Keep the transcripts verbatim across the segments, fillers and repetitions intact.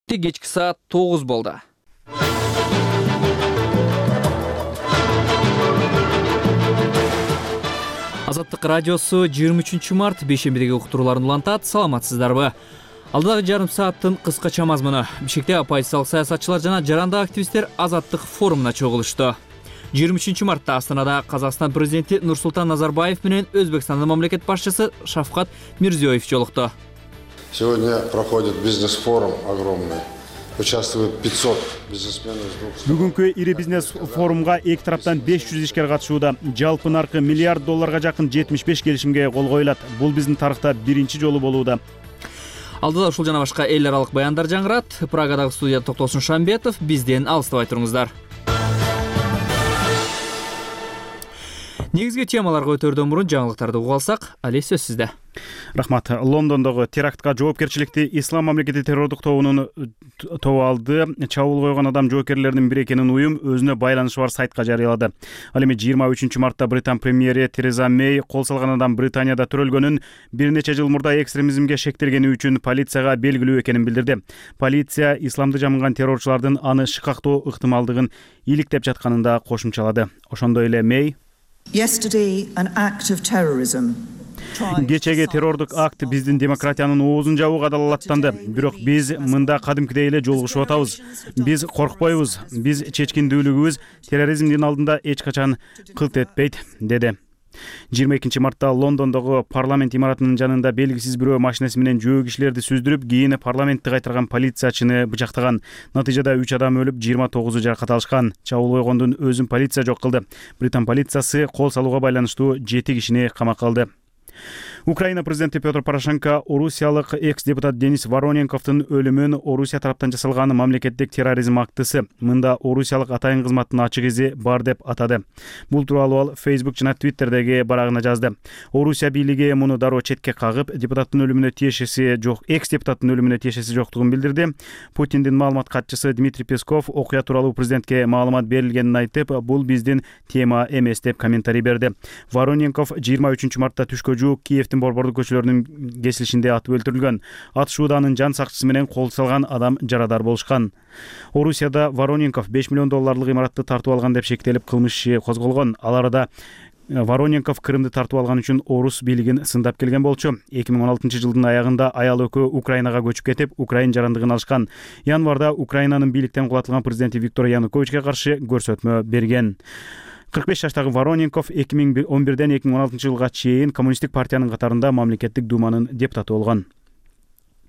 жетти, кечки саат тогуз болду. Азаттык радиосу жыйырма үчүнчү март бейшембидеги уктурууларын улантат. Саламатсыздарбы? Алдагы жарым сааттын кыскача мазмуну. Бишкекте оппозициялык саясатчылар жана жарандык активисттер Азаттык форумуна чогулушту. жыйырма үчүнчү мартта Астанада Казакстан президенти Нурсултан Назарбаев менен Өзбекстандын мамлекет башчысы Шавкат Мирзиёев жолукту. Сегодня проходит бизнес-форум огромный. Участвует пятьсот бизнесменов из двух стран. Бүгүнкү ири бизнес форумга эки тараптан беш жүз ишкер катышууда. Жалпы наркы миллиард долларга жакын жетимиш беш келишимге кол коюлат. Бул биздин тарыхта биринчи жолу болууда. Алдыда ушул жана башка эл аралык баяндар жаңгырат. Прагадагы студияда Токтосун Шамбетов. Бизден алыстабай туруңуздар. Негизги темаларга өтөрдөн мурун жаңылыктарды угуп алсак, Али сөз сизде. Рахмат. Лондондогу терактка жоопкерчиликти Ислам мамлекети террордук тобунун тобу алды. Чабуул койгон адам жоокерлеринин бири экенин уюм өзүнө байланышы бар сайтка жарыялады. Ал эми жыйырма үчүнчү мартта Британ премьери Тереза Мэй кол салган адам Британияда төрөлгөнүн, бир нече жыл мурда экстремизмге шектелгени үчүн полицияга белгилүү экенин билдирди. Полиция исламды жамынган террорчулардын аны шыкактоо ыктымалдыгын иликтеп жатканын да кошумчалады. Ошондой эле Мэй Кечеги террордук акт биздин демократиянын оозун жабууга далалаттанды. Бирок биз мында кадимкидей эле жолугушуп атабыз. Биз коркпойбуз. Биз чечкиндүүлүгүбүз терроризмдин алдында эч качан кылт этпейт, деди. жыйырма экинчи мартта Лондондогу парламент имаратынын жанында белгисиз бирөө машинеси менен жөө кишилерди сүздүрүп, кийин парламентти кайтарган полициячыны бычактаган. Натыйжада үч адам өлүп, жыйырма тогузу жаракат алышкан. Чабуул койгондун өзүн полиция жок кылды. Британ полициясы кол салууга байланыштуу жети кишини камакка алды. Украина президенти Петр Порошенко орусиялык экс-депутат Денис Вороненковдун өлүмүн Орусия тараптан жасалган мамлекеттик терроризм актысы. Мында орусиялык атайын кызматтын ачык изи бар деп атады. Бул тууралуу ал Facebook жана Twitterдеги барагына жазды. Орусия бийлиги муну дароо четке кагып, депутаттын өлүмүнө тиешеси жок, экс-депутаттын өлүмүнө тиешеси жоктугун билдирди. Путиндин маалымат катчысы Дмитрий Песков окуя тууралуу президентке маалымат берилгенин айтып, бул биздин тема эмес деп комментарий берди. Вороненков жыйырма үчүнчү мартта түшкө жуук Киевдин борбордук көчөлөрүнүн кесилишинде атып өлтүрүлгөн. Атышууда анын жан сакчысы менен кол салган адам жарадар болушкан. Орусияда Вороненков беш миллион долларлык имаратты тартып алган деп шектелип кылмыш иши козголгон. Ал арада Вороненков Крымды тартып алган үчүн орус бийлигин сындап келген болчу. эки миң он алтынчы жылдын аягында аял экөө Украинага көчүп кетип, Украин жарандыгын алышкан. Январда Украинанын бийликтен кулатылган президенти Виктор Януковичке каршы көрсөтмө берген. кырк беш жаштагы Вороненков эки миң он бирден эки миң он алтынчы жылга чейин коммунисттик партиянын катарында мамлекеттик думанын депутаты болгон.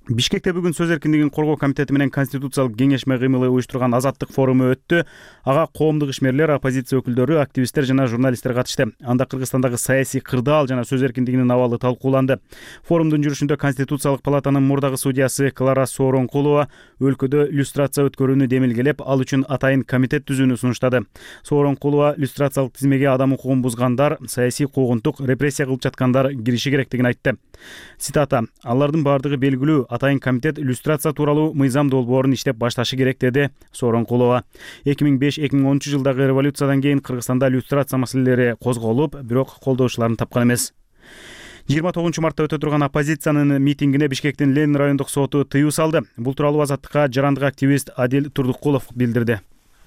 Бишкекте бүгүн сөз эркиндигин коргоо комитети менен конституциялык кеңешме кыймылы уюштурган Азаттык форуму өттү. Ага коомдук ишмерлер, оппозиция өкүлдөрү, активисттер жана журналисттер катышты. Анда Кыргызстандагы саясий кырдаал жана сөз эркиндигинин абалы талкууланды. Форумдун жүрүшүндө Конституциялык палатанын мурдагы судьясы Клара Сооронкулова өлкөдө люстрация өткөрүүнү демилгелеп, ал үчүн атайын комитет түзүүнү сунуштады. Сооронкулова люстрациялык тизмеге адам укугун бузгандар, саясий куугунтук, репрессия кылып жаткандар кириши керектигин айтты. Цитата: "Алардын бардыгы белгилүү, атайын комитет люстрация тууралуу мыйзам долбоорун иштеп башташы керек", деди Сооронкулова. эки миң беш эки миң онунчу жылдагы революциядан кийин Кыргызстанда люстрация маселелери козголуп, бирок колдоочуларын тапкан эмес. жыйырма тогузунчу мартта өтө турган оппозициянын митингине Бишкектин Ленин райондук соту тыюу салды. Бул тууралуу Азаттыкка жарандык активист Адил Турдукулов билдирди.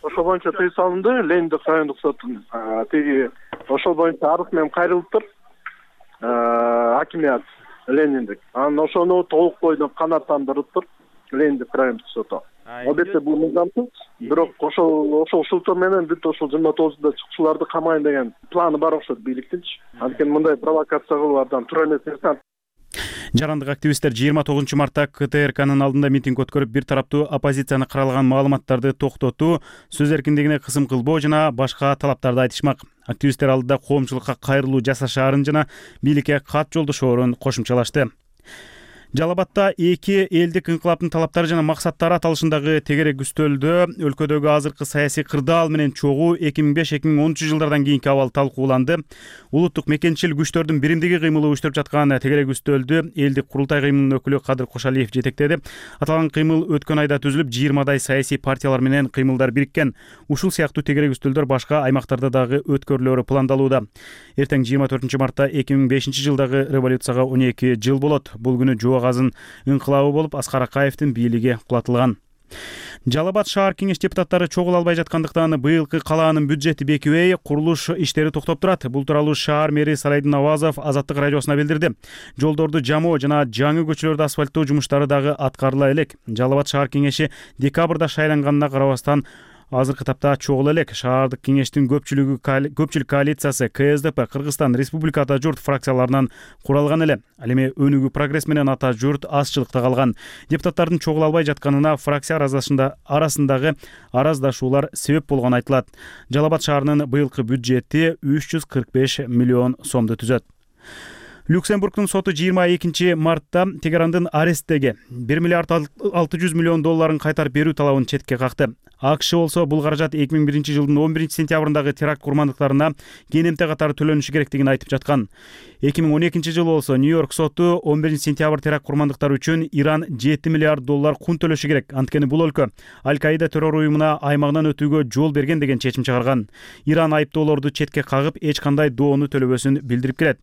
Ошол боюнча тыюу салынды. Лениндик райондук соттун тиги ошол боюнча арыз менен кайрылыптыр. Акимият Лениндик. Анан ошону толук бойдон канааттандырыптыр Лениндик райондук соту. Албетте бул мыйзамсыз, бирок ошол ошол шылтоо менен бүт ошол жыйырма тогузунда чыкчыларды камайын деген планы бар окшойт бийликтинчи. Анткени мындай провокация кылуудан туура эмес нерсе. Жарандык активисттер жыйырма тогузунчу мартта К Т Р Кнын алдында митинг өткөрүп, бир тараптуу оппозицияны каралаган маалыматтарды токтотуу, сөз эркиндигине кысым кылбоо жана башка талаптарды айтышмак. Активисттер алдыда коомчулукка кайрылуу жасашаарын жана бийликке кат жолдошоорун кошумчалашты. Жалал Абадта эки элдик инкылаптын талаптары жана максаттары аталышындагы тегерек үстөлдө өлкөдөгү азыркы саясий кырдаал менен чогуу эки миң беш эки миң онунчу жылдардан кийинки абал талкууланды. Улуттук мекенчил күчтөрдүн биримдиги кыймылы уюштуруп жаткан тегерек үстөлдү элдик курултай кыймылынын өкүлү Кадыр Кошалиев жетектеди. Аталган кыймыл өткөн айда түзүлүп, жыйырмадай саясий партиялар менен кыймылдар бириккен. Ушул сыяктуу тегерек үстөлдөр башка аймактарда дагы өткөрүлөрү пландалууда. Эртең жыйырма төртүнчү мартта эки миң бешинчи жылдагы революцияга он эки жыл болот. Бул күнү Жоо Казын инкылабы болуп, Аскар Акаевдин бийлиги кулатылган. Жалал Абад шаар кеңеш депутаттары чогула албай жаткандыктан быйылкы калаанын бюджети бекибей, курулуш иштери токтоп турат. Бул тууралуу шаар мэри Салайдин Авазов Азаттык радиосуна билдирди. Жолдорду жамоо жана жаңы көчөлөрдү асфальттоо жумуштары дагы аткарыла элек. Жалал Абад шаар кеңеши декабрда шайланганына карабастан азыркы тапта чогула элек. Шаардык кеңештин көпчүлүгү көпчүлүк коалициясы К С Д П, Кыргызстан Республика Ата журт фракцияларынан куралган эле. Ал эми Өнүгүү прогресс менен Ата журт азчылыкта калган. Депутаттардын чогула албай жатканына фракция арасындагы араздашуулар себеп болгону айтылат. Жалал Абад шаарынын быйылкы бюджети үч жүз кырк беш миллион сомду түзөт. Люксембургдун соту жыйырма экинчи мартта Тегерандын аресттеги бир миллиард алты жүз миллион долларын кайтарып берүү талабын четке какты. АКШ болсо бул каражат эки миң биринчи жылдын он биринчи сентябрындагы теракт курмандыктарына кенемте катары төлөнүшү керектигин айтып жаткан. эки миң он экинчи жылы болсо Нью-Йорк соту он биринчи сентябрь теракт курмандыктары үчүн Иран жети миллиард доллар кун төлөшү керек. Анткени бул өлкө Аль-Каида террор уюмуна аймагынан өтүүгө жол берген деген чечим чыгарган. Иран айыптоолорду четке кагып, эч кандай доону төлөбөсүн билдирип келет.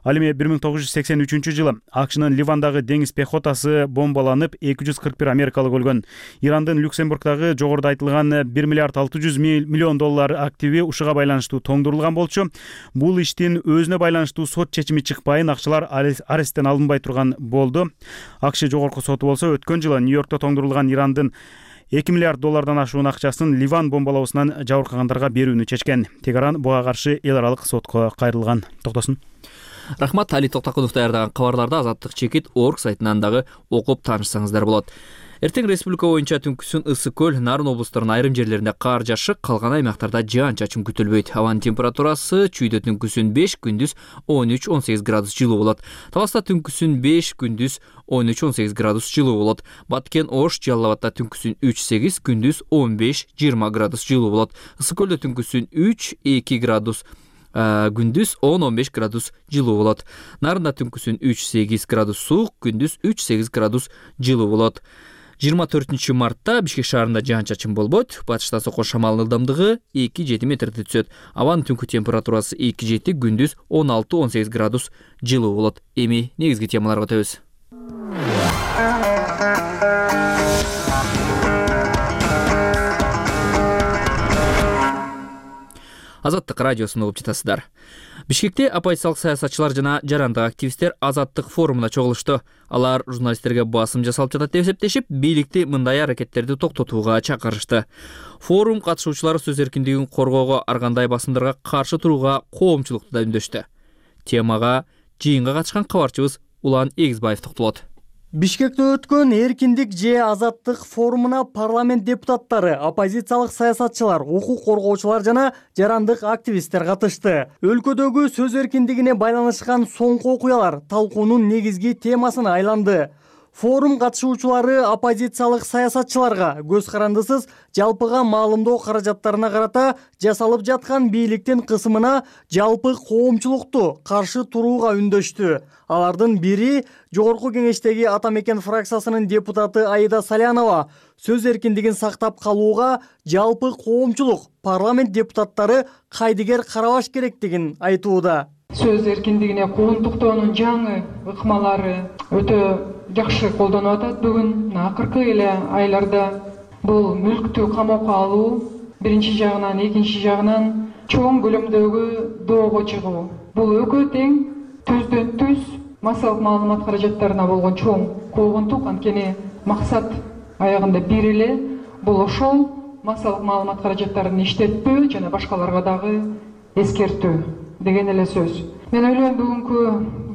Ал эми бир миң тогуз жүз сексен үчүнчү жылы АКШнын Ливандагы деңиз пехотасы бомбаланып, эки жүз кырк бир америкалык өлгөн. Ирандын Люксембургдагы жогоруда айтылган бир миллиард алты жүз миллион доллар активи ушуга байланыштуу тоңдурулган болчу. Бул иштин өзүнө байланыштуу сот чечими чыкпайын, акчалар аресттен алынбай турган болду. АКШ жогорку соту болсо өткөн жылы Нью-Йоркто тоңдурулган Ирандын эки миллиард доллардан ашуун акчасын Ливан бомбалоосунан жабыркагандарга берүүнү чечкен. Тегеран буга каршы эл аралык сотко кайрылган. Токтосун. Рахмат. Али Токтакунов даярдаган кабарларды Азаттык чекит орг сайтынан дагы окуп таанышсаңыздар болот. Эртең республика боюнча түнкүсүн ысык көл, Нарын облустарынын айрым жерлеринде кар жашык, калган аймактарда жаан-чачын күтүлбөйт. Абанын температурасы чүйдө түнкүсүн беш, күндүз он үч он сегиз градус жылуу болот. Таласта түнкүсүн беш, күндүз он үч он сегиз градус жылуу болот. Баткен, Ош, Жалал Абадта түнкүсүн үч сегиз, күндүз он беш жыйырма градус жылуу болот. Ысык көлдө түнкүсүн үч эки градус, күндүз он он беш градус жылуу болот. Нарында түнкүсүн үч сегиз градус суук, күндүз үч сегиз градус жылуу болот. жыйырма төртүнчү мартта Бишкек шаарында жаан-чачын болбойт. Батыштан соккон шамалдын ылдамдыгы эки жети метрди түзөт. Абанын түнкү температурасы эки жети, күндүз он алты он сегиз градус жылуу болот. Эми негизги темаларга өтөбүз. Азаттык радиосун угуп жатасыздар. Бишкекте оппозициялык саясатчылар жана жарандык активисттер Азаттык форумуна чогулушту. Алар журналисттерге басым жасалып жатат деп эсептешип, бийликти мындай аракеттерди токтотууга чакырышты. Форум катышуучулары сөз эркиндигин коргоого, ар кандай басымдарга каршы турууга коомчулукту да үндөштү. Темага жыйынга катышкан кабарчыбыз Улан Эгизбаев токтолот. Бишкекте өткөн эркиндик же азаттык форумуна парламент депутаттары, оппозициялык саясатчылар, укук коргоочулар жана жарандык активисттер катышты. Өлкөдөгү сөз эркиндигине байланышкан соңку окуялар талкуунун негизги темасына айланды. Форум катышуучулары оппозициялык саясатчыларга көз карандысыз жалпыга маалымдоо каражаттарына карата жасалып жаткан бийликтин кысымына жалпы коомчулукту каршы турууга үндөштү. Алардын бири жогорку кеңештеги Ата Мекен фракциясынын депутаты Аида Салянова сөз эркиндигин сактап калууга жалпы коомчулук, парламент депутаттары кайдыгер карабаш керектигин айтууда. Сөз эркиндигине куугунтуктоонун жаңы ыкмалары өтө жакшы колдонуп атат. Бүгүн акыркы эле айларда бул мүлктү камоокко алуу биринчи жагынан, экинчи жагынан чоң көлөмдөгү доого чыгуу. Бул экөө тең түздөн түз массалык маалымат каражаттарына болгон чоң куугунтук. Анткени максат аягында бир эле, бул ошол массалык маалымат каражаттарын иштетпөө жана башкаларга дагы эскертүү деген эле сөз. Мен ойлойм, бүгүнкү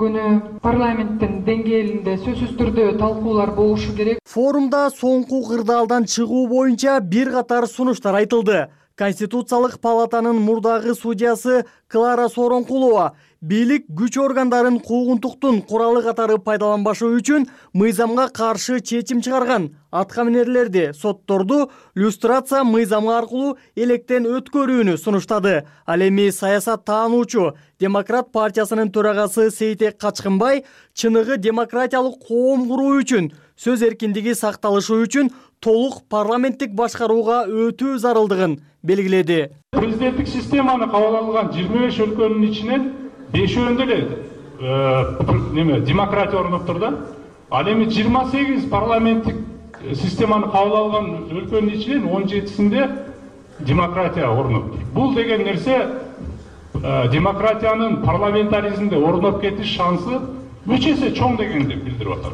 күнү парламенттин деңгээлинде сөзсүз түрдө талкуулар болушу керек. Форумда соңку кырдаалдан чыгуу боюнча бир катар сунуштар айтылды. Конституциялык палатанын мурдагы судьясы Клара Сооронкулова бийлик күч органдарын куугунтуктун куралы катары пайдаланбашы үчүн мыйзамга каршы чечим чыгарган аткаминерлерди, сотторду люстрация мыйзамы аркылуу электен өткөрүүнү сунуштады. Ал эми саясат таануучу Демократ партиясынын төрагасы Сейтек Качкынбай чыныгы демократиялык коом куруу үчүн, сөз эркиндиги сакталышы үчүн толук парламенттик башкарууга өтүү зарылдыгын белгиледи. Президенттик системаны кабыл алган жыйырма беш өлкөнүн ичинен бешөөндө эле неме демократия орноп тур да. Ал эми жыйырма сегиз парламенттик системаны кабыл алган өлкөнүн ичинен он жетисинде демократия орноп. Бул деген нерсе демократиянын парламентаризмде орноп кетиш шансы үч эсе чоң дегенди билдирип атат.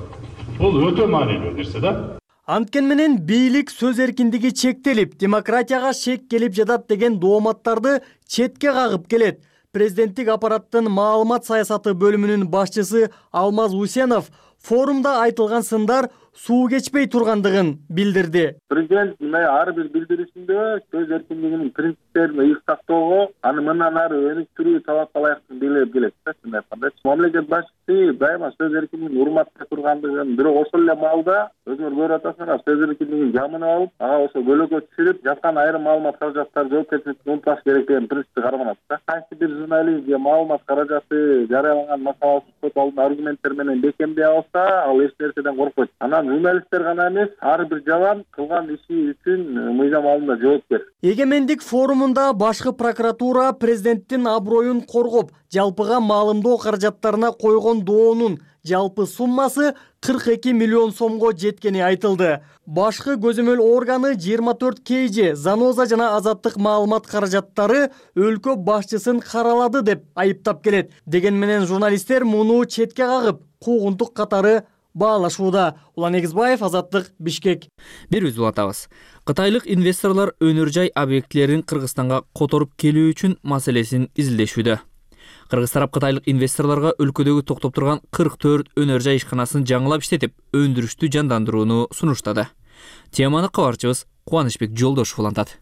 Бул өтө маанилүү нерсе да. Анткени менен бийлик сөз эркиндиги чектелип, демократияга шек келип жатат деген дооматтарды четке кагып келет. Президенттик аппараттын маалымат саясаты бөлүмүнүн башчысы Алмаз Усенов форумда айтылган сындар суу кечпей тургандыгын билдирди. Президент ар бир билдирисинде сөз эркиндигинин принциптерин ыйык сактоого, аны мындан ары өнүктүрүү талапка ылайыктуу белгилеп келет. Чындап айтканда, мамлекет башчысы дайыма сөз эркиндигин урматтай тургандыгын, бирок ошол эле маалда өзүңөр көрүп атасыңар, сөз эркиндигин жамынып алып, ага ошо бөлөккө түшүрүп, жаткан айрым маалымат каражаттары жоопкерчиликти унутпаш керек деген принципти карманат да. Кайсы бир журналист же маалымат каражаты жарыяланган макаласын сот алдында аргументтер менен бекемдей алса, ал эч нерседен коркпойт. Анан журналисттер гана эмес, ар бир жабан кылган иши үчүн мыйзам алдында жоопкер. Эгемендик форумунда башкы прокуратура президенттин аброюн коргоп, жалпыга маалымдоо каражаттарына койгон доонун жалпы суммасы кырк эки миллион сомго жеткени айтылды. Башкы көзөмөл органы жыйырма төрт кей же Заноза жана Азаттык маалымат каражаттары өлкө башчысын каралады деп айыптап келет. Деген менен журналисттер муну четке кагып, куугунтук катары баалашууда. Улан Эгизбаев, Азаттык, Бишкек. Бир үз улатабыз. Кытайлык инвесторлор өнөр жай объектилерин Кыргызстанга которуп келүү үчүн маселесин изилдешүүдө. Кыргыз тарап кытайлык инвесторлорго өлкөдөгү токтоп турган кырк төрт өнөр жай ишканасын жаңылап иштетип, өндүрүштү жандандырууну сунуштады. Теманы кабарчыбыз Кубанычбек Жолдошов улантат.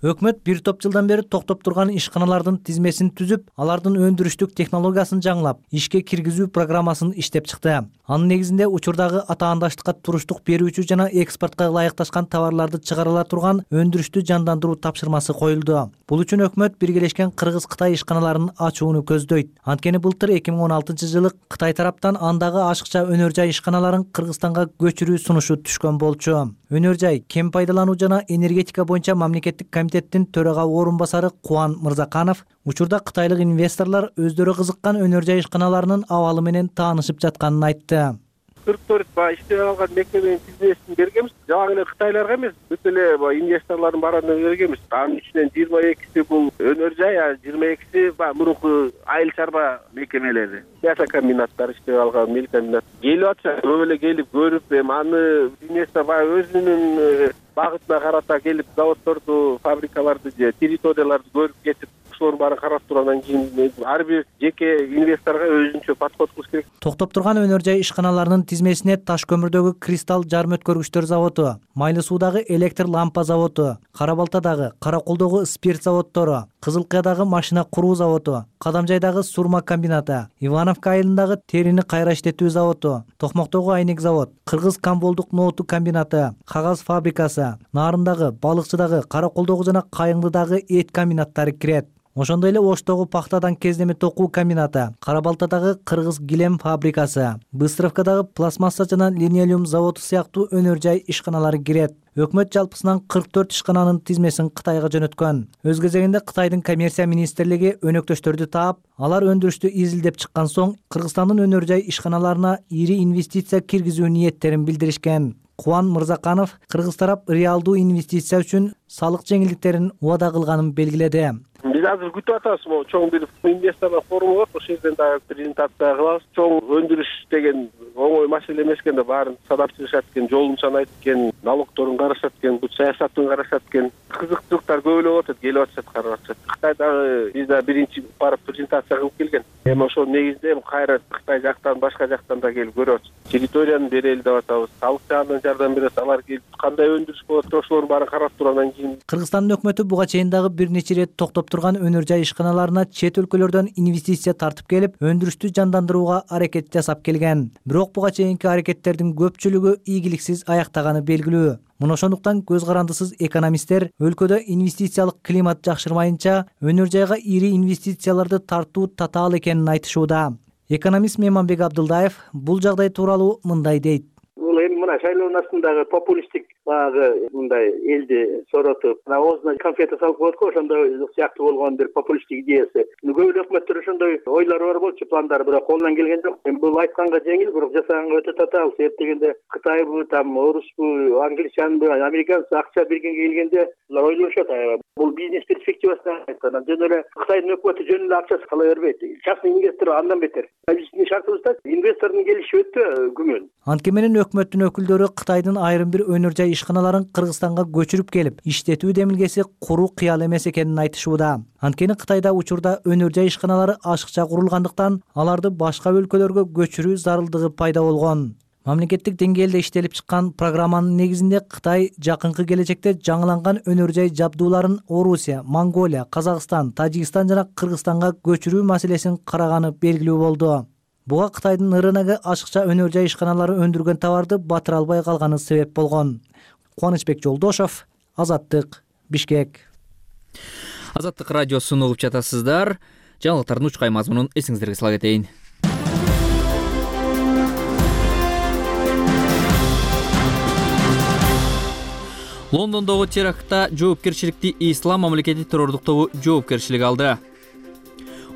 Өкмөт бир топ жылдан бери токтоп турган ишканалардын тизмесин түзүп, алардын өндүрүштүк технологиясын жаңылап, ишке киргизүү программасын иштеп чыкты. Анын негизинде учурдагы атаандаштыкка туруштук берүүчү жана экспортко ылайыкташкан товарларды чыгарыла турган өндүрүштү жандандыруу тапшырмасы коюлду. Бул үчүн өкмөт биргелешкен Кыргыз-Кытай ишканаларын ачууну көздөйт. Анткени былтыр эки миң он алтынчы жылы Кытай тараптан андагы ашыкча өнөр жай ишканаларын Кыргызстанга көчүрүү сунушу түшкөн болчу. Өнөр жай, кен пайдалануу жана энергетика боюнча мамлекеттик комитеттин төрага орун басары Кубан Мырзаканов учурда кытайлык инвесторлор өздөрү кызыккан өнөр жай ишканаларынын абалы менен таанышып жатканын айтты. кырк төрт баягы иштеп алган мекеменин тизмесин бергенбиз. Жана эле кытайларга эмес, бүт эле баягы инвесторлордун баарына бергенбиз. Анын ичинен жыйырма экиси бул өнөр жай, а жыйырма экиси баягы мурунку айыл чарба мекемелери. Мясокомбинаттар иштеп алган, мелкомбинат. Келип атса, көп эле келип көрүп, эми аны инвестор баягы өзүнүн багытына карата келип заводдорду, фабрикаларды же территорияларды көрүп кетип, ошолордун баарын карап тургандан кийин ар бир жеке инвесторго өзүнчө подход кылыш керек. Токтоп турган өнөр жай ишканаларынын тизмесине таш көмүрдөгү кристалл жарым өткөргүчтөр заводу, Майлы суудагы электр лампа заводу, Кара Балтадагы, Каракулдогу спирт заводдору, Кызылкаядагы машина куруу заводу, Кадамжайдагы сурма комбинаты, Ивановка айылындагы терини кайра иштетүү заводу, Токмоктогу айнек завод, Кыргыз Камболдук ноуту комбинаты, кагаз фабрикасы, Нарындагы, Балыкчыдагы, Каракулдогу жана Кайыңдыдагы эт комбинаттары кирет. Ошондой эле Оштогу пахтадан кездеме токуу комбинаты, Кара Балтадагы Кыргыз килем фабрикасы, Быстровкадагы пластмасса жана линолеум заводу сыяктуу өнөр жай ишканалары кирет. Өкмөт жалпысынан кырк төрт ишкананын тизмесин Кытайга жөнөткөн. Өз кезегинде Кытайдын коммерция министрлиги өнөктөштөрдү таап, алар өндүрүштү изилдеп чыккан соң Кыргызстандын өнөр жай ишканаларына ири инвестиция киргизүү ниеттерин билдиришкен. Кубан Мырзаканов Кыргыз тарап реалдуу инвестиция үчүн салык жеңилдиктерин убада кылганын белгиледи. Биз азыр күтүп атабыз, могу чоң бир инвесторлор форуму бар, ошол жерден дагы презентация кылабыз. Чоң өндүрүш деген оңой маселе эмес экен да, баарын садап чыгышат экен, жолунчан айтып экен, налогторун карашат экен, бул саясатын карашат экен. Кызыктуулуктар көбөлөп атат, келип атышат, карап атышат. Кытай дагы биз да биринчи барып презентация кылып келген. Эми ошол негизинде эми кайра Кытай жактан, башка жактан да келип көрүп атышат. Территорияны берели деп атабыз, салык жагынан жардам берет, алар келип кандай өндүрүш болот, ошолордун баарын карап тургандан кийин. Кыргызстандын өкмөтү буга чейин дагы бир нече ирет токтоп турган өнөр жай ишканаларына чет өлкөлөрдөн инвестиция тартып келип, өндүрүштү жандандырууга аракет жасап келген. Бирок буга чейинки аракеттердин көпчүлүгү ийгиликсиз аяктаганы белгилүү. Муну ошондуктан көз карандысыз экономисттер өлкөдө инвестициялык климат жакшырмайынча өнөр жайга ири инвестицияларды тартуу татаал экенин айтышууда. Экономист Меманбек Абдылдаев бул жагдай тууралуу мындай дейт. Бул эми мына шайлоонун астындагы популисттик баягы мындай элди соротуп оозуна конфета салып коет го, ошондой сыяктуу болгон бир популисттик идеясы. Көп эле өкмөттөр ошондой ойлору бар болчу, пландары, бирок колунан келген жок. Эми бул айтканга жеңил, бирок жасаганга өтө татаал. Себеп дегенде Кытайбы, там орусбу, англичанбы, американцы акча бергенге келгенде булар ойлошот аябай. Бул бизнес перспективасынан айткан. Жөн эле Кытайдын өкмөтү жөн эле акчасы кала бербейт. Частный инвестор андан бетер. Биздин шартыбызда инвестордун келиши өтө күмөн. Антке менен өкмөттүн өкүлдөрү Кытайдын айрым бир өнөр жай ишканаларын Кыргызстанга көчүрүп келип, иштетүү демилгеси куруу кыял эмес экенин айтышууда. Анткени Кытайда учурда өнөр жай ишканалары ашыкча курулгандыктан аларды башка өлкөлөргө көчүрүү зарылдыгы пайда болгон. Мамлекеттик деңгээлде иштелип чыккан программанын негизинде Кытай жакынкы келечекте жаңыланган өнөр жай жабдууларын Орусия, Монголия, Казакстан, Тажикстан жана Кыргызстанга көчүрүү маселесин караганы белгилүү болду. Буга Кытайдын РНГ ашыкча өнөр жай ишканалары өндүргөн товарды батыра албай калганы себеп болгон. Кубанычбек Жолдошов, Азаттык, Бишкек. Азаттык радиосун угуп жатасыздар. Жаңылыктардын учкай мазмунун эсиңиздерге сала кетейин. Лондондогу терактта жоопкерчиликти Ислам мамлекети террордук тобу жоопкерчилик алды.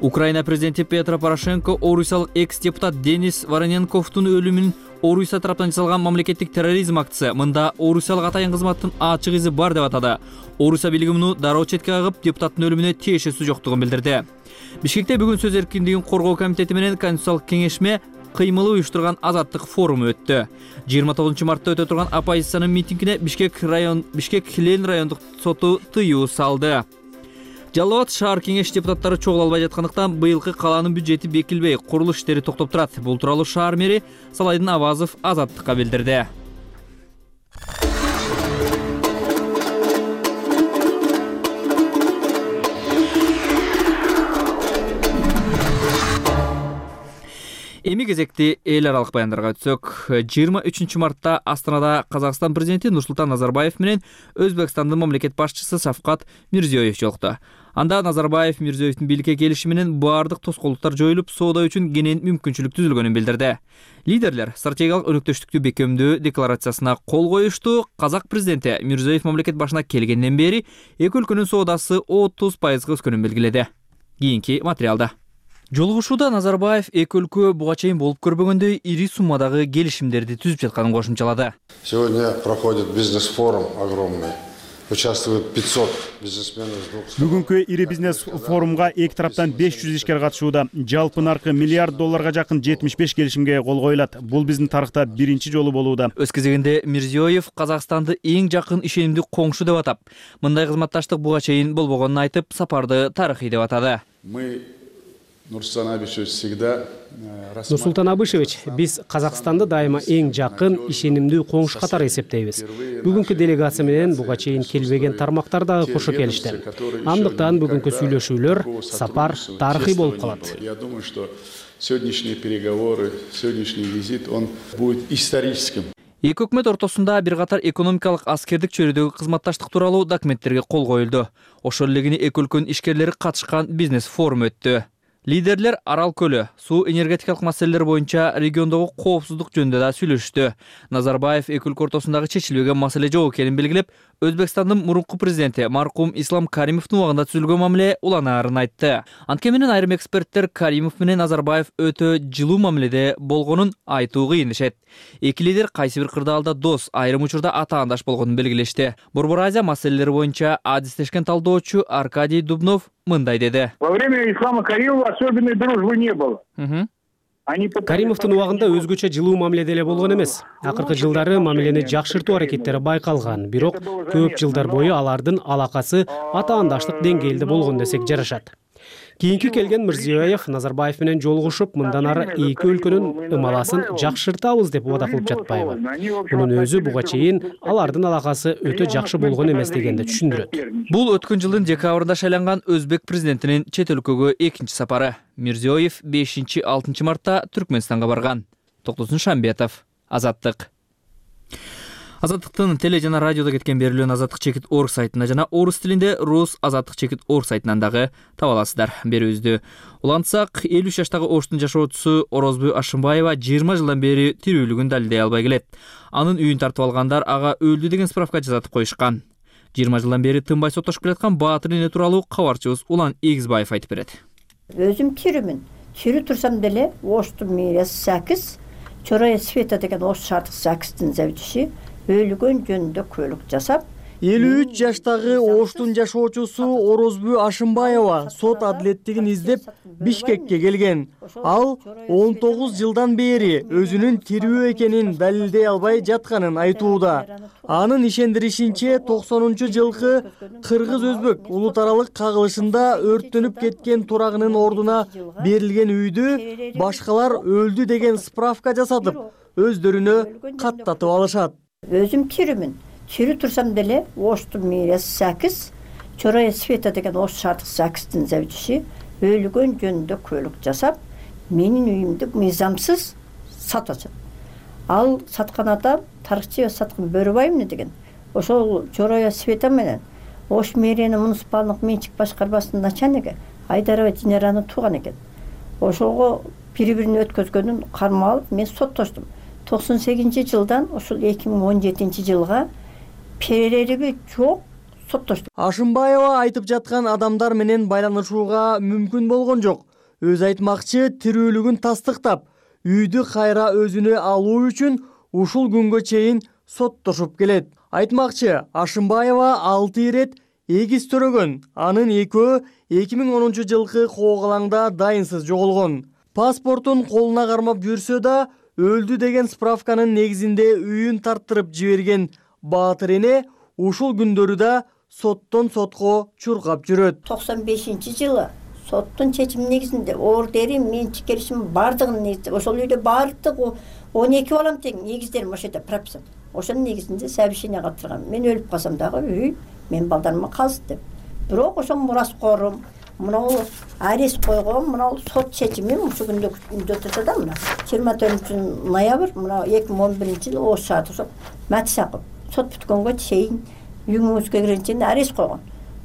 Украина президенти Петро Порошенко орусиялык экс-депутат Денис Вороненковдун өлүмүн Орусия тараптан жасалган мамлекеттик терроризм актысы, мында орусиялык атайын кызматтын ачык изи бар деп атады. Орусия бийлиги муну дароо четке кагып, депутаттын өлүмүнө тиешеси жоктугун билдирди. Бишкекте бүгүн сөз эркиндигин коргоо комитети менен Конституциялык кеңешме кыймылы уюштурган азаттык форуму өттү. жыйырма тогузунчу мартта өтө турган оппозициянын митингине Бишкек район Бишкек Хилен райондук соту тыюу салды. Жалал Абад шаар кеңеш депутаттары чогула албай жаткандыктан быйылкы калаанын бюджети бекилбей, курулуш иштери токтоп турат. Бул тууралуу шаар мэри Салайдын Авазов Азаттыкка билдирди. Эми кезекти эл аралык баяндарга өтсөк, жыйырма үчүнчү мартта Астанада Казакстан президенти Нурсултан Назарбаев менен Өзбекстандын мамлекет башчысы Шавкат Мирзиёев жолукту. Анда Назарбаев Мирзиёевдин бийликке келиши менен баардык тоскоолдуктар жоюлуп, соода үчүн кенен мүмкүнчүлүк түзүлгөнүн билдирди. Лидерлер стратегиялык өнөктөштүктү бекемдөө декларациясына кол коюшту. Казак президенти Мирзиёев мамлекет башына келгенден бери эки өлкөнүн соодасы отуз пайызга өскөнүн белгиледи. Кийинки материалда. Жолугушууда Назарбаев эки өлкө буга чейин болуп көрбөгөндөй ири суммадагы келишимдерди түзүп жатканын кошумчалады. Сегодня проходит бизнес-форум огромный. Участвует пятьсот бизнесменов из двух стран. Бүгүнкү ири бизнес форумга эки тараптан беш жүз ишкер катышууда. Жалпы наркы миллиард долларга жакын жетимиш беш келишимге кол коюлат. Бул биздин тарыхта биринчи жолу болууда. Өз кезегинде Мирзиёев Казакстанды эң жакын ишенимдүү коңшу деп атап, мындай кызматташтык буга чейин болбогонун айтып, сапарды тарыхый деп атады. Мы Нурсултан Абишевич всегда Нурсултан Абишевич, биз Казакстанды дайыма эң жакын, ишенимдүү коңшу катары эсептейбиз. Бүгүнкү делегация менен буга чейин келбеген тармактар дагы кошо келишти. Андыктан бүгүнкү сүйлөшүүлөр, сапар тарыхый болуп калат. Я думаю, что сегодняшние переговоры, сегодняшний визит, он будет историческим. Эки өкмөт ортосунда бир катар экономикалык, аскердик чөйрөдөгү кызматташтык тууралуу документтерге кол коюлду. Ошол эле эки өлкөнүн ишкерлери катышкан бизнес форум өттү. Лидерлер Арал көлү, суу энергетикалык маселелер боюнча региондогу коопсуздук жөнүндө да сүйлөштү. Назарбаев эки өлкө ортосундагы чечилбеген маселе жок экенин белгилеп, Өзбекстандын мурунку президенти маркум Ислам Каримовдун убагында түзүлгөн мамиле уланаарын айтты. Анткени менен айрым эксперттер Каримов менен Назарбаев өтө жылуу мамиледе болгонун айтуу кыйын дешет. Эки лидер кайсы бир кырдаалда дос, айрым учурда атаандаш болгонун белгилешти. Борбор Азия маселелери боюнча адистешкен талдоочу Аркадий Дубнов мындай деди. Во время Ислама Каримова особенной дружбы не было. Каримовдун убагында өзгөчө жылуу мамиледе эле болгон эмес. Акыркы жылдары мамилени жакшыртуу аракеттери байкалган, бирок көп жылдар бою алардын алакасы атаандаштык деңгээлде болгон десек жарашат. Кийинки келген Мирзиёев Назарбаев менен жолугушуп, мындан ары эки өлкөнүн ымаласын жакшыртабыз деп убада кылып жатпайбы. Мунун өзү буга чейин алардын алакасы өтө жакшы болгон эмес дегенди түшүндүрөт. Бул өткөн жылдын декабрында шайланган Өзбек президентинин чет өлкөгө экинчи сапары. Мирзиёев бешинчи алтынчы мартта Түркмөнстанга барган. Токтосун Шамбетов, Азаттык. Азаттыктын теле жана радиодо кеткен берүүлөн азаттык чекит орг сайтында жана орус тилинде рус азаттык чекит орг сайтынан дагы таба аласыздар. Берүүбүздү улантсак, элүү үч жаштагы Оштун жашоочусу Орозбу Ашымбаева жыйырма жылдан бери тирүүлүгүн далилдей албай келет. Анын үйүн тартып алгандар ага өлдү деген справка жазатып коюшкан. жыйырма жылдан бери тынбай соттошуп келаткан Баатыр эне тууралуу кабарчыбыз Улан Эгизбаев айтып берет. Өзүм тирүүмүн. Тирүү турсам деле Оштун мэриясы Сакиз, Чорая Света деген Ош шаардык Сакиздин заведующий өлгөн жөнүндө күбөлүк жасап, элүү үч жаштагы Оштун жашоочусу Орозбу Ашымбаева сот адилеттигин издеп Бишкекке келген. Ал он тогуз жылдан бери өзүнүн тирүү экенин далилдей албай жатканын айтууда. Анын ишендиришинче токсонунчу жылкы кыргыз-өзбек улут аралык кагылышында өрттөнүп кеткен турагынын ордуна берилген үйдү башкалар өлдү деген справка жасатып, өздөрүнө каттатып алышат. Өзүм тирүүмүн. Тирүү турсам деле Оштун мэриясы Сакиз, Чорая Света деген Ош шаардык Сакиздин заведующий өлгөн жөнүндө күбөлүк жасап, менин үйүмдү мыйзамсыз сатып атат. Ал саткан адам тарыхчы саткан Бөрөбаевна деген. Ошол Чорая Света менен Ош мэриянын муниципалдык менчик башкармасынын начальниги Айдарова Динараны тууган экен. Ошого бири-бирин өткөзгөнүн кармап алып, мен соттоштум. токсон сегизинчи жылдан ошол эки миң он жетинчи жылга перереби жок соттоштум. Ашымбаева айтып жаткан адамдар менен байланышууга мүмкүн болгон жок. Өз айтмакчы, тирүүлүгүн тастыктап, үйдү кайра өзүнө алуу үчүн ушул күнгө чейин соттошуп келет. Айтмакчы, Ашымбаева алты ирет эгиз төрөгөн. Анын экөө эки миң онунчу жылкы коогалаңда дайынсыз жоголгон. Паспортун колуна кармап жүрсө да өлдү деген справканын негизинде үйүн тарттырып жиберген Баатыр эне ушул күндөрү да соттон сотко чуркап жүрөт. токсон бешинчи жылы соттун чечими негизинде ордери менчик келишим бардыгын негизде ошол үйдө бардык он эки балам тең негиздерим ошол жерде прописан. Ошонун негизинде совещание калтырган. Мен өлүп калсам дагы үй мен балдарыма калсын деп. Бирок ошол мураскорум мынау арест койгон, мынау сот чечими ушул күндө күндө турса да мына жыйырма төртүнчү ноябрь мына эки миң он биринчи жылы Ош шаардык Матисаков сот бүткөнгө чейин үйүңүзгө киргенче арест койгон.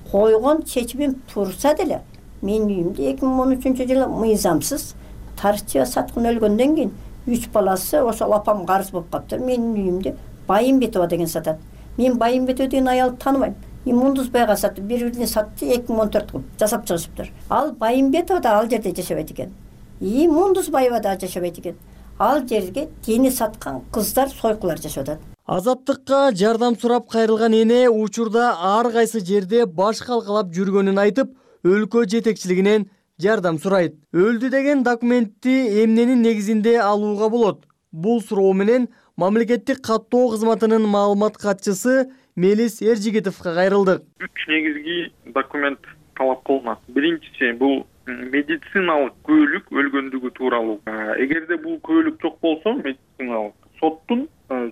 Койгон чечимим турса деле менин үйүмдү эки миң он үчүнчү жылы мыйзамсыз тарыхчы саткын өлгөндөн кийин үч баласы ошол апам карыз болуп калыптыр. Менин үйүмдү Байымбетова деген сатат. Мен Байымбетова деген аялды тааныбайм. Имундусбайга сатты, бири-бирине сатты, эки миң он төрткү жасап чыгышыптыр. Ал Байымбетова да ал жерде жашабайт экен. Имундусбаева да жашабайт экен. Ал жерге дени саткан кыздар, сойкулар жашап атат. Азаттыкка жардам сурап кайрылган эне учурда ар кайсы жерде баш калкалап жүргөнүн айтып, өлкө жетекчилигинен жардам сурайт. Өлдү деген документти эмненин негизинде алууга болот? Бул суроо менен мамлекеттик каттоо кызматынын маалымат катчысы Мелис Эржигитовго кайрылдык. Үч негизги документ талап кылынат. Биринчиси бул медициналык күбөлүк өлгөндүгү тууралуу. Эгерде бул күбөлүк жок болсо, медициналык соттун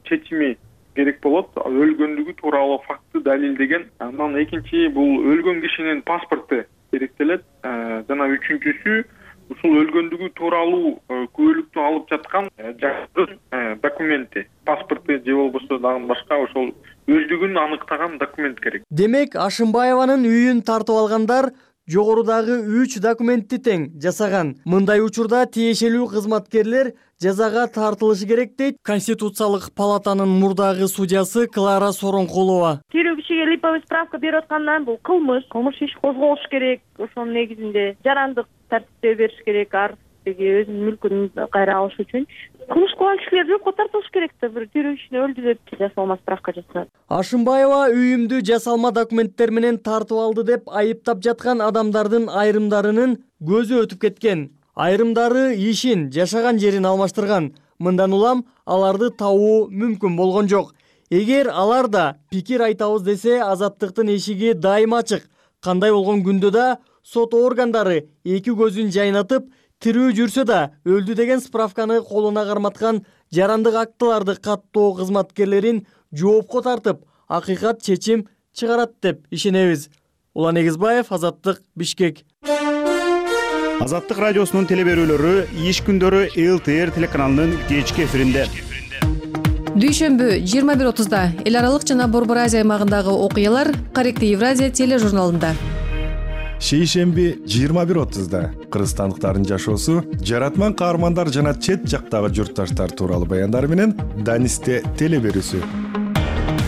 чечими керек болот. Өлгөндүгү тууралуу факты далилдеген. Андан экинчи бул өлгөн кишинин паспорту керектелет. Жана үчүнчүсү ушул өлгөндүгү тууралуу күбөлүктү алып жаткан жаштын документи, паспорту же болбосо дагы башка ошол өлдүгүн аныктаган документ керек. Демек, Ашымбаеванын үйүн тартып алгандар жогорудагы үч документти тең жасаган. Мындай учурда тиешелүү кызматкерлер жазага тартылышы керек дейт Конституциялык палатанын мурдагы судьясы Клара Соронкулова. Тирүү кишиге липовый справка берип аткандан бул кылмыш, кылмыш иш козголуш керек. Ошонун негизинде жарандык тартипте бериш керек, ар бирге өзүнүн мүлкүн кайра алыш үчүн. Кылмыш кылган кишилер жокко тартылыш керек да, бир тирүү кишини өлдү деп жасалма справка жасат. Ашымбаева үйүмдү жасалма документтер менен тартып алды деп айыптап жаткан адамдардын айрымдарынын көзү өтүп кеткен. Айрымдары ишин, жашаган жерин алмаштырган. Мындан улам аларды табуу мүмкүн болгон жок. Эгер алар да пикир айтабыз десе, Азаттыктын эшиги дайыма ачык. Кандай болгон күндө да сот органдары эки көзүн жайнатып, тирүү жүрсө да өлдү деген справканы колуна карматкан жарандык актыларды каттоо кызматкерлерин жоопко тартып, акыйкат чечим чыгарат деп ишенебиз. Улан Эгизбаев, Азаттык, Бишкек. Азаттык радиосунун телеберүүлөрү иш күндөрү эл тэ эр телеканалынын кечки эфиринде. Дүйшөмбү жыйырма бир отузда эл аралык жана Борбор Азия аймагындагы окуялар Корректив Евразия тележурналында. Шейшемби жыйырма бир отузда кыргызстандыктардын жашоосу, жаратман каармандар жана чет жактагы журтташтар тууралуу баяндар менен Данисте телеберүүсү.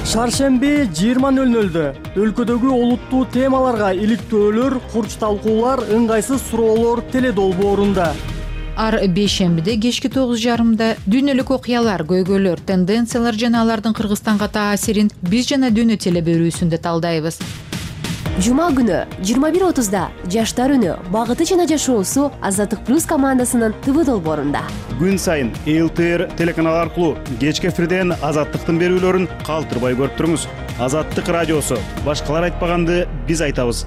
Шаршемби жыйырма нөл нөлдө өлкөдөгү олуттуу темаларга иликтөөлөр, курч талкуулар, ыңгайсыз суроолор теледолбоорунда. Ар бейшембиде кечки тогуз жарымда дүйнөлүк окуялар, көйгөйлөр, тенденциялар жана алардын Кыргызстанга таасирин биз жана дүйнө телеберүүсүндө талдайбыз. Жума күнү жыйырма бир отузда Жаштар үнү, багыты жана жашоосу Азаттык плюс командасынын ТВ долбоорунда. Күн сайын Эл Т Р телеканал аркылуу кечки эфирден Азаттыктын берүүлөрүн калтырбай көрүп туруңуз. Азаттык радиосу, башкалар айтпаганды биз айтабыз.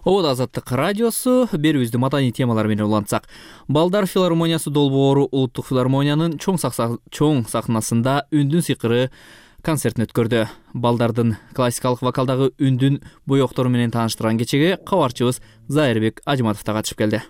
Обод Азаттык радиосу, берүүбүздү маданий темалар менен улантсак. Балдар филармониясы долбоору Улуттук филармониянын чоң сахнасында үндүн сыйкыры концертин өткөрдү. Балдардын классикалык вокалдагы үндүн боектору менен тааныштырган кечеге кабарчыбыз Зайырбек Ажыматов да катышып келди.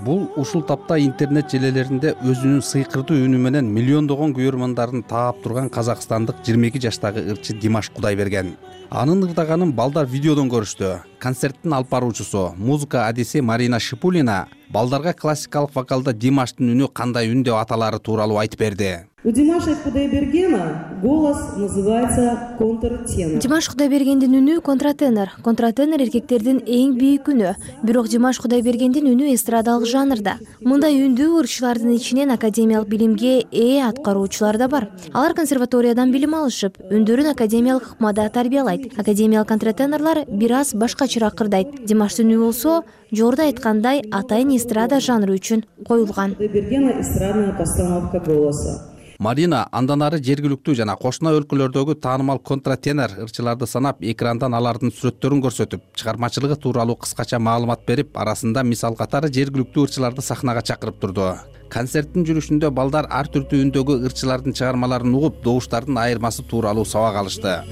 Бул ушул тапта интернет желелеринде өзүнүн сыйкырдуу үнү менен миллиондогон көрөрмандарын таап турган казакстандык жыйырма эки жаштагы ырчы Димаш Кудайберген. Анын ырдаганын балдар видеодон көрүштү. Концерттин алып баруучусу, музыка адиси Марина Шипулина балдарга классикалык вокалда Димаштын үнү кандай үн деп аталары тууралуу айтып берди. У Димаша Кудайбергена голос называется контртенор. Димаш Кудайбергендин үнү контратенор. Контратенор эркектердин эң бийик үнү. Бирок Димаш Кудайбергендин үнү эстрадалык жанрда. Мындай үндүү ырчылардын ичинен академиялык билимге ээ аткаруучулар да бар. Алар консерваториядан билим алышып, үндөрүн академиялык ыкмада тарбиялайт. Академиялык контратенорлор бир аз башкачараак кырдайт. Димаштын үнү болсо, жорда айткандай, атайын эстрада жанры үчүн коюлган. Кудайбергена эстрадная постановка голоса. Марина андан ары жергиликтүү жана кошуна өлкөлөрдөгү таанымал контратенор ырчыларды санап, экрандан алардын сүрөттөрүн көрсөтүп, чыгармачылыгы тууралуу кыскача маалымат берип, арасында мисал катары жергиликтүү ырчыларды сахнага чакырып турду. Концерттин жүрүшүндө балдар ар түрдүү үндөгү ырчылардын чыгармаларын угуп, добуштардын айырмасы тууралуу сабак алышты.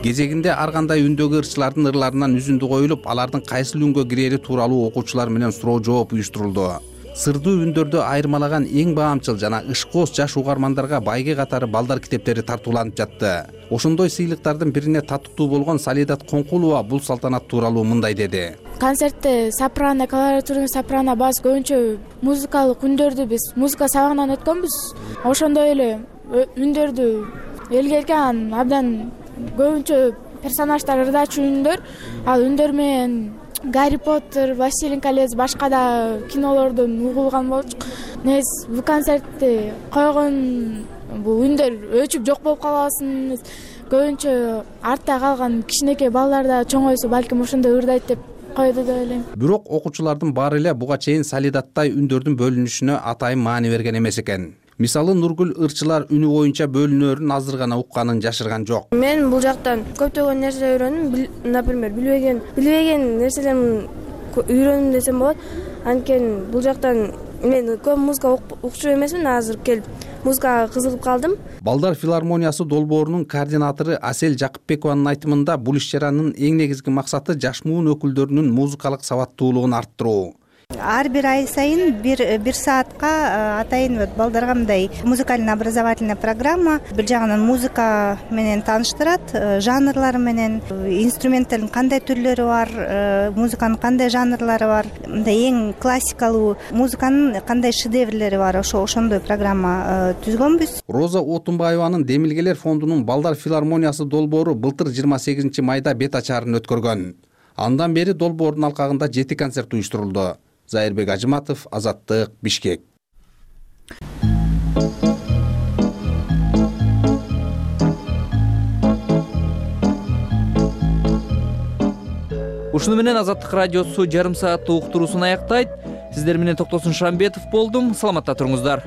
Кезегинде ар кандай үндөгү ырчылардын ырларынан үзүндү коюлуп, алардын кайсыл үнгө кирери тууралуу окуучулар менен суроо жооп уюштурулду. Сырдуу үндөрдү айырмалаган эң баамчыл жана ышкоос жаш угармандарга байге катары балдар китептери тартууланып жатты. Ошондой сыйлыктардын бирине татыктуу болгон Салидат Коңкулова бул салтанат тууралуу мындай деди. Концертте сопрано, колоратурный сопрано, бас көбүнчө музыкалык үндөрдү биз музыка сабагынан өткөнбүз. Ошондой эле үндөрдү элге келген абдан көбүнчө персонаждар ырдачу үндөр, ал үндөр менен Гарри Поттер, Властелин колец, башка да кинолордон угулган болчук. Нез бул концертти койгон бул үндөр өчүп жок болуп калбасын. Көбүнчө артта калган кичинекей балдар да чоңойсо балким ошондой ырдайт деп койду деп ойлойм. Бирок окуучулардын баары эле буга чейин Салидаттай үндөрдүн бөлүнүшүнө атайын маани берген эмес экен. Мисалы Нургүл ырчылар үнү боюнча бөлүнөрүн азыр гана укканын жашырган жок. Мен бул жактан көптөгөн нерсе үйрөндүм. Например, билбеген билбеген нерселерди үйрөндүм десем болот. Анткени бул жактан мен көп музыка укчу эмесмин, азыр келип музыкага кызыгып калдым. Балдар филармониясы долбоорунун координатору Асель Жакыпбекованын айтымында бул иш-чаранын эң негизги максаты жаш муун өкүлдөрүнүн музыкалык сабаттуулугун арттыруу. Ар бир ай сайын бир бир саатка атайын вот балдарга мындай музыкальный образовательный программа бир жагынан музыка менен тааныштырат, жанрлары менен, инструменттердин кандай түрлөрү бар, музыканын кандай жанрлары бар, мындай эң классикалуу музыканын кандай шедеврлери бар, ошо ошондой программа түзгөнбүз. Роза Отунбаеванын Демилгелер фондунун Балдар филармониясы долбоору былтыр жыйырма сегизинчи майда бет ачаарын өткөргөн. Андан бери долбоордун алкагында жети концерт уюштурулду. Зайырбек Ажыматов, Азаттык, Бишкек. Ушуну менен Азаттык радиосу жарым сааттык уктуруусун аяктайт. Сиздер менен Токтосун Шамбетов болдум. Саламатта туруңуздар.